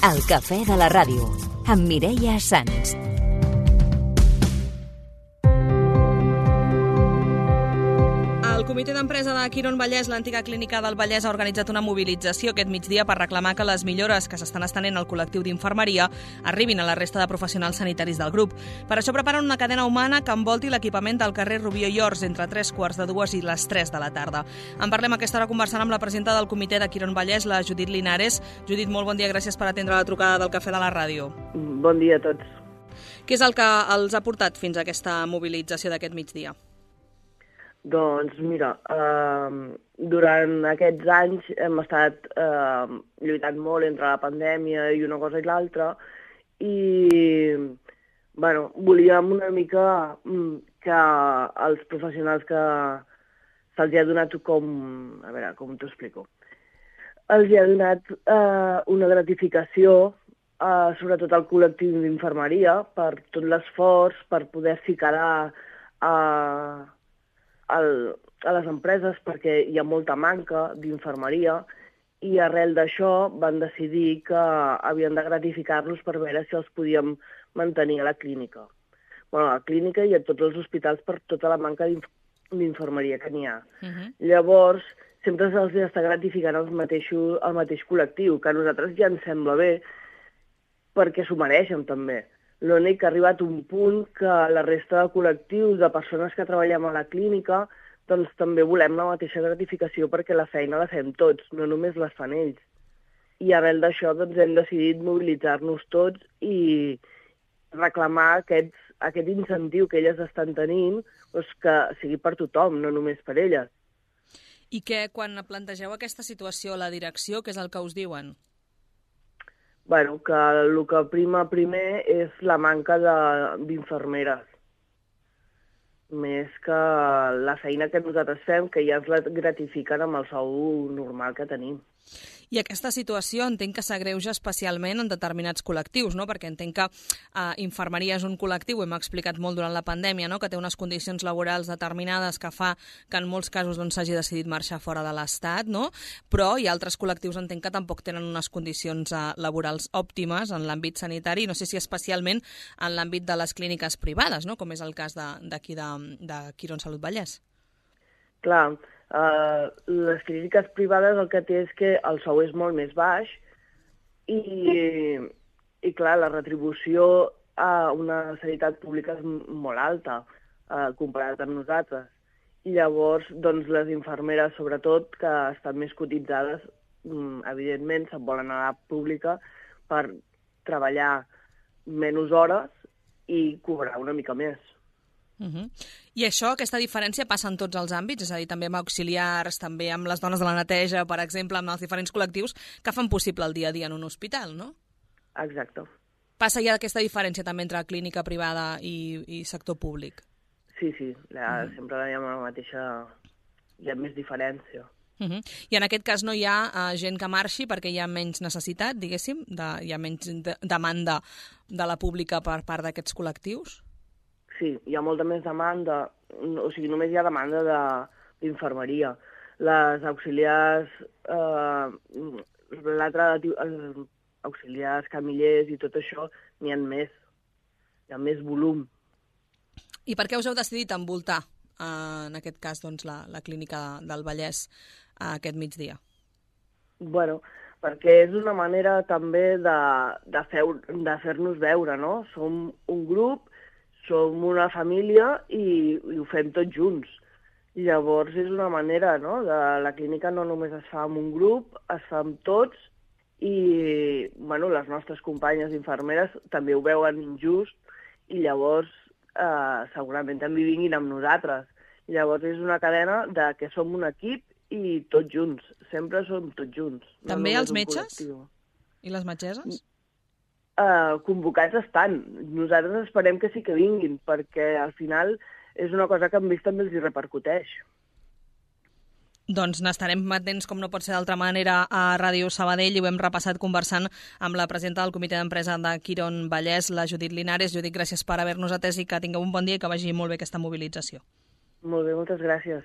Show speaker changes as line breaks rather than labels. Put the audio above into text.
El cafè de la ràdio, amb Mireia Sans.
El comitè d'empresa de Quiron Vallès, l'antiga clínica del Vallès, ha organitzat una mobilització aquest migdia per reclamar que les millores que s'estan estenent al col·lectiu d'infermeria arribin a la resta de professionals sanitaris del grup. Per això preparen una cadena humana que envolti l'equipament del carrer Rubió i Ors entre 3:15 i les 3 de la tarda. En parlem a aquesta hora conversant amb la presidenta del comitè de Quiron Vallès, la Judit Linares. Judit, molt bon dia, gràcies per atendre la trucada del Cafè de la Ràdio.
Bon dia a tots.
Què és el que els ha portat fins a aquesta mobilització d'aquest migdia?
Doncs mira, durant aquests anys hem estat lluitant molt entre la pandèmia i una cosa i l'altra i volíem una mica que els professionals que se'ls ha donat com t'ho explico, els ha donat una gratificació, sobretot al col·lectiu d'infermeria, per tot l'esforç, per poder-s'hi quedar a les empreses perquè hi ha molta manca d'infermeria i arrel d'això van decidir que havien de gratificar-los per veure si els podíem mantenir a la clínica. Bueno, a la clínica i a tots els hospitals per tota la manca d'infermeria que n'hi ha. Llavors, sempre se'ls està gratificant el mateix col·lectiu, que a nosaltres ja ens sembla bé perquè s'ho mereixen també. L'únic que ha arribat un punt que la resta de col·lectius, de persones que treballem a la clínica, doncs també volem la mateixa gratificació perquè la feina la fem tots, no només les fan ells. I arrel d'això doncs, hem decidit mobilitzar-nos tots i reclamar aquest incentiu que elles estan tenint, doncs, que sigui per tothom, no només per elles.
I que quan plantegeu aquesta situació a la direcció, què és el que us diuen?
Bueno, que el que prima primer és la manca d'infermeres, més que la feina que nosaltres fem, que ja ens la gratifiquen amb el sou normal que tenim.
I aquesta situació entenc que s'agreuja especialment en determinats col·lectius, no? Perquè entenc que infermeria és un col·lectiu, ho hem explicat molt durant la pandèmia, no? Que té unes condicions laborals determinades que fa que en molts casos s'hagi decidit marxar fora de l'Estat, no? Però hi ha altres col·lectius, entenc que tampoc tenen unes condicions laborals òptimes en l'àmbit sanitari, no sé si especialment en l'àmbit de les clíniques privades, no? Com és el cas d'aquí de Quiron Salut Vallès.
Clar, les clíniques privades el que té és que el sou és molt més baix i clar, la retribució a una sanitat pública és molt alta comparat amb nosaltres. I llavors, doncs, les infermeres, sobretot, que estan més cotitzades, evidentment, se'n volen anar a la pública per treballar menys hores i cobrar una mica més.
I això, aquesta diferència passa en tots els àmbits, és a dir, també amb auxiliars, també amb les dones de la neteja, per exemple, amb els diferents col·lectius que fan possible el dia a dia en un hospital, no?
Exacte.
Passa ja aquesta diferència també entre clínica privada i sector públic?
Sí, sempre hi ha la mateixa... hi ha més diferència.
I en aquest cas no hi ha gent que marxi perquè hi ha menys necessitat, diguéssim, hi ha menys demanda de la pública per part d'aquests col·lectius?
Sí, hi ha molta més demanda, o sigui, només hi ha demanda d'infermeria. Les auxiliars, auxiliars, camillers i tot això, n'hi ha més. Hi ha més volum.
I per què us heu decidit envoltar, en aquest cas, doncs, la clínica del Vallès aquest migdia?
Bueno, perquè és una manera també de fer-nos veure, no? Som un grup, som una família i ho fem tots junts. I llavors és una manera, no? La clínica no només es fa amb un grup, es fa amb tots i les nostres companyes infermeres també ho veuen injust i llavors segurament també vinguin amb nosaltres. I llavors és una cadena que som un equip i tots junts. Sempre som tots junts.
També els metges? I les metgesses?
Convocats estan. Nosaltres esperem que sí que vinguin, perquè al final és una cosa que amb ells també els hi repercuteix.
Doncs n'estarem atents, com no pot ser d'altra manera, a Ràdio Sabadell i ho hem repassat conversant amb la presidenta del comitè d'empresa de Quiron Vallès, la Judit Linares. Judit, gràcies per haver-nos atès i que tingueu un bon dia i que vagi molt bé aquesta mobilització.
Molt bé, moltes gràcies.